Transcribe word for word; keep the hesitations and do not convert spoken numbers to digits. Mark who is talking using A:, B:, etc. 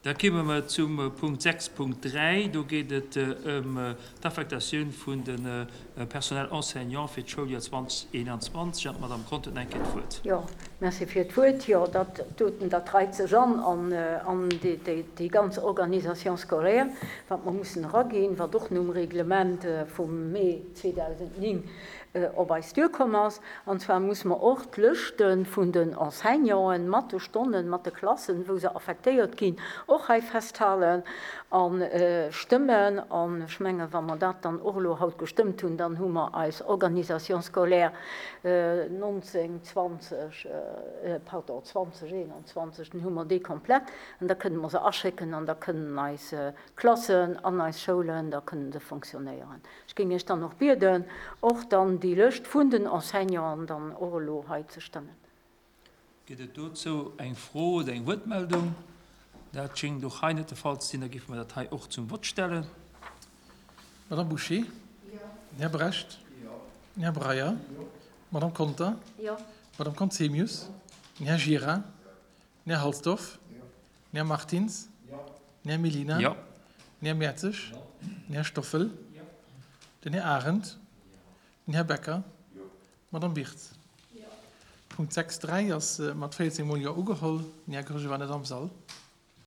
A: Da kéime mer zum Punkt sechs Punkt dräi. Do geet et ëm d'Affektatioun vun de Personnel enseignant fir d'Schouljoer zwanzeg eenanzwanzeg. An d'Madame Conter huet nach eng Kéier d'Wuert.
B: Jo, merci fir d'Wuert. Jo, dat doten, dat reit sech an an déi ganz Organisation scolaire, wat mer mussen eraginn, wat och nom Reglement vum Mee zweedausendnéng op eis duerkomm ass. An zwar muss mer och d'Lëschte vun den Enseignanten mat de Stonnen, mat de Klassen, wou se affektéiert ginn, och hei festhalen a stëmmen. An ech mengen, wa mer dat dann och elo haut gestëmmt hunn, dann hu mer eis Organisation scolaire nonzéng zwanzeg, pardon, zwanzeg eenanzwanzeg, dann hu mer déi komplett an da kënne mer se aschécken an da kënnen eis Klassen an eis Schoulen, da kënnen se fonctionnéieren. Ech géing Iech dann och bieden, och dann déi Lëscht vun den Enseignanten dann och elo hei ze stëmmen.
A: Gëtt et dozou eng Fro oder eng Wuertmeldung? Dat schéngt och hei net de Fall ze sinn. Da géife mer dat hei och zum Vott stellen.
C: Madame Bouché?
B: Jo.
C: Den Här Brecht?
D: Jo.
C: Den Här Breyer?
D: Jo.
C: Madame Conter?
B: Jo.
C: Madame Conzemius? Den Här Gira? Den Här Halsdorf?
D: Jo.
C: Den Här Martins?
D: Jo.
C: Den Här Mellina?
A: Jo.
C: Den Här Mertzig?
D: Jo.
C: Den Här Stoffel?
D: Jo.
C: Den Här Arendt? Den Här Becker?
D: Jo.
C: Madame Birtz?
B: Jo.
C: Punkt sechs dräi ass mat véierzéng Mol Jo ugeholl. Den Här Goergen war net am Sall.